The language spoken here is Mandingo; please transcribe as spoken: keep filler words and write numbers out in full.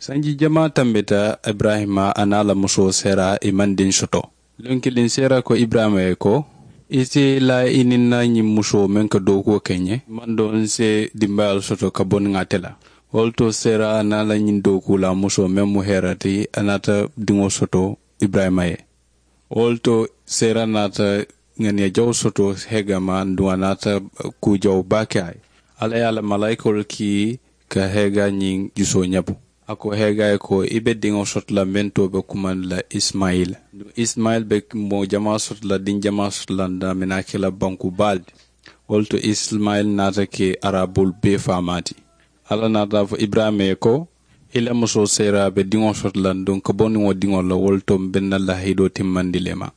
Sanji jamaa tambita iburayima a niŋ a la musoo seera i maŋ diŋ soto. Luŋ kiliŋ seera ko iburayima ye ko, i si laa i niŋ na ñiŋ musoo meŋ ka dookuwo ke ñe maŋ doŋ n si dimbayaalu soto ka bo niŋ ate la. Wo le to seera a niŋ a la ñiŋ dookuu la musoo meŋ mu heera ti a naata diŋo soto iburayima ye. Wo le to seera naata ŋaniya jawo soto heega ma aduŋ a naata kuu jawo baa ke a ye. Alla ye a la malaayikoolu kii ka heega ñiŋ jusoo ñabu. A ko heega ye ko i be diŋo soto la meŋ to be kumandi la isimayila. Aduŋ isimayila be moo jamaa soto la diŋ jamaa soto la n daamina a ke la banku baa le ti. Wo le to isimayila naata ke araboolu bee faamaa ti. Alla naata a fo iburayima ye ko, i la musoo seera be diŋo soto la aduŋ ka bo niŋ wo diŋo la wo le to m be n na lahidoo timmandi le ma.